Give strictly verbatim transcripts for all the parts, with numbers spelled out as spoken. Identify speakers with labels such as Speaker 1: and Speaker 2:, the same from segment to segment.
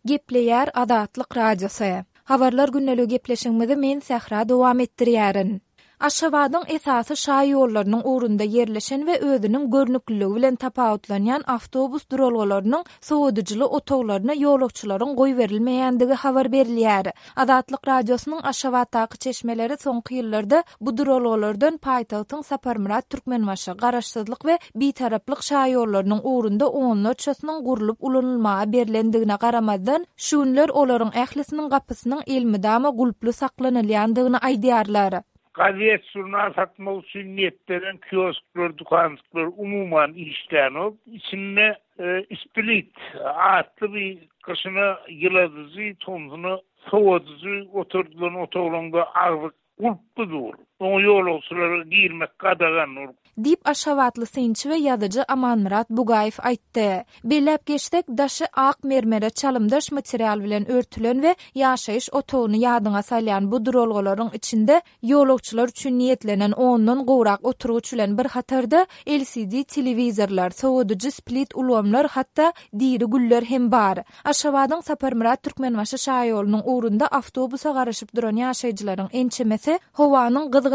Speaker 1: Gepleýär Azatlyk Radiosy. Habarlar gündeligi gepleşigimizi men Sähra dowam etdirýärin. Aşgabadyň esasy şaýollarynyň ugrunda ýerleşen we özüniň görnükliligi bilen tapawutlanýan awtobus duralgalarynyň sowadyjyly otaglaryna ýolagçylaryň goýberilmeýändigi habar berilýär. Azatlyk Radiosynyň Aşgabatdaky çeşmeleri soňky ýyllarda bu duralgalardan paýtagtyň Saparmyrat Türkmenbaşy, Garaşsyzlyk we Bitaraplyk şaýollarynyň ugrunda onlarçasynyň gurlup ulanylmaga berlendigine garamazdan, şu günler olaryň ählisiniň gapysynyň elmydama gulply saklanylýandygyny aýdýarlar.
Speaker 2: Gazet, jurnal satmak üçin niýetlenen kiosklar, dükanjyklar umuman işlänok. Içinde e, split atly bir gyşyna ýyladyjy, tomsuna sowadyjy oturdylan otaglaryňda agzy gulply dur. Oňa ýolagçylara girmek gadagan.
Speaker 1: Diýip Aşgabatly synçy we ýazyjy Amanmyrat Bugaýew aýtdy. Belläp geçsek, daşy ak mermere çalymdaş material bilen örtülen we ýaşaýyş otagyny ýadyňa salýan bu duralgalaryň içinde ýolagçylar üçin niýetlenen ondan gowrak oturgyç bilen bir hatarda L C D telewizorlar, sowadyjy split ulgamlar, hatda diri güller hem bar. Aşgabadyň Saparmyrat Türkmenbaşy şaýolunyň ugrunda awtobusa garaşyp duran ýaşaýjylaryň ençemesi howanyň gyzgynlygy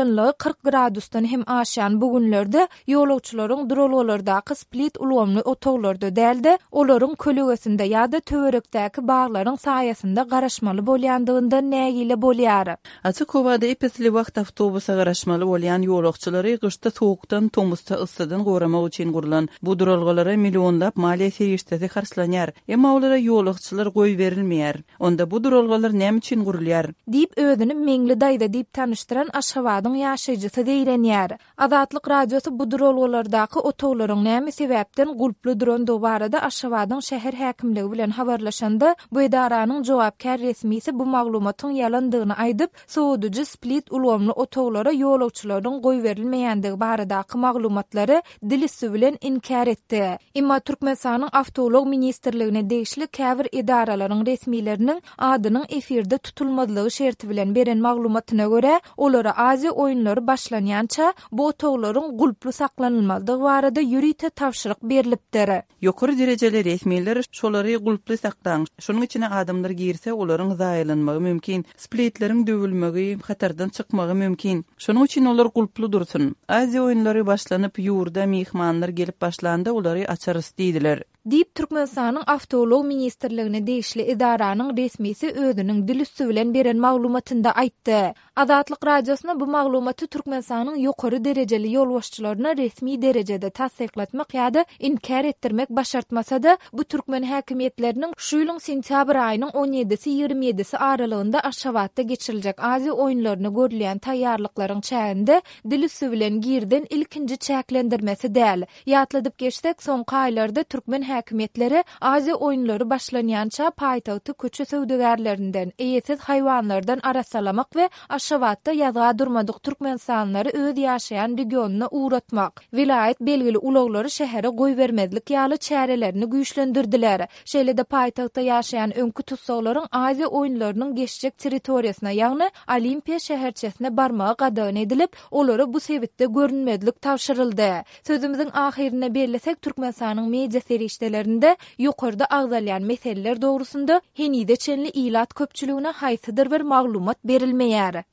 Speaker 1: kyrk gradusdan hem aşýan bu günlerde ýolagçylaryň duralgalardaky split ulgamly otaglarda däl-de, olaryň kölegesinde ýa-da töwerekdäki baglaryň saýasynda garaşmaly bolýandygyndan nägile bolýar.
Speaker 3: Açyk howada ep-esli wagt awtobusa garaşmaly bolýan ýolagçylary gyşda sowukdan, tomusda yssydan goramak üçin gurlan bu duralgalara millionlap maliýe serişdesi harçlanýar. Emma olara ýolagçylar goýberilmeýär. Onda bu duralgalar näme üçin gurulýar?
Speaker 1: Diýip özüni Meňli daýza diýip tanyşdyran Aşgabadyň ýaşaýjysy zeýrenýär. Azatlyk Radiosy bu duralgalardaky otaglaryň näme sebäpden gulply durandygy barada Aşgabadyň şäher häkimligi bilen habarlaşanda, bu edaranyň jogapkär resmisi bu maglumatyň ýalandygyny aýdyp, sowadyjy split ulgamly otaglara ýolagçylaryň goýberilmeýändigi baradaky maglumatlary dil üsti bilen inkär etdi. Emma Türkmenistanyň Awtoulag ministrligine degişli käbir edaralaryň resmileriniň adynyň efirde tutulmazlygy şerti bilen beren maglumatyna görä, olara Aziýa oýunlary başlanýança bu otaglaryň gulply saklanylmalydygy barada ýörite tabşyryk berlipdir.
Speaker 3: Ýokary derejeli resmiler şolary gulply saklaň. Şonuň içine adamlar girse, olaryň zaýalanmagy mümkin. Splitleriň döwülmegi, hatardan çykmagy mümkin. Şonuň üçin olar gulply dursun. Aziýa oýunlary başlanyp, ýurda myhmanlar gelip başlanda olary açarys diýdiler.
Speaker 1: Diýip Türkmenistanyň Awtoulag ministrligine degişli edaranyň resmisi özüniň dil üsti bilen beren maglumatynda aýtdy. Azatlyk Radiosyna bu maglumaty Türkmenistanyň ýokary derejeli ýolbaşçylaryna resmi derejede tassyklatmak ýa-da inkär etdirmek başartmasa-da, bu türkmen häkimiýetleriniň şu ýylyň sentýabr aýynyň on ýedisi ýigrimi ýedisi aralygynda Aşgabatda geçiriljek Aziýa oýunlaryna görülýän taýýarlyklaryň çäginde dil üsti bilen girizen ilkinji çäklendirmesi däl. Ýatladyp geçsek, soňky aýlarda türkmen häkimiýetleri Aziýa oýunlary başlanýança paýtagty köçe söwdagärlerinden, eýesiz haýwanlardan arassalamak we Aşgabatda ýazga durmadyk türkmenistanlylary öz ýaşaýan regionyna ugratmak, welaýat belgili ulaglary şähere goýbermezlik ýaly çärelerini güýçlendirdiler. Şeýle-de paýtagtda ýaşaýan öňki tussaglaryň Aziýa oýunlarynyň geçjek territoriýasyna, ýagny Olimpiýa şäherçesine barmagy gadagan edilip, olara bu sebitde görünmezlik tabşyryldy. Sözümiziň ahyrynda bellesek, Türkmenistanyň media serişdelerinde ýokarda agzalýan meseleler dogrusynda henize çenli ilat köpçüligine haýsydyr bir maglumat berilmeýär.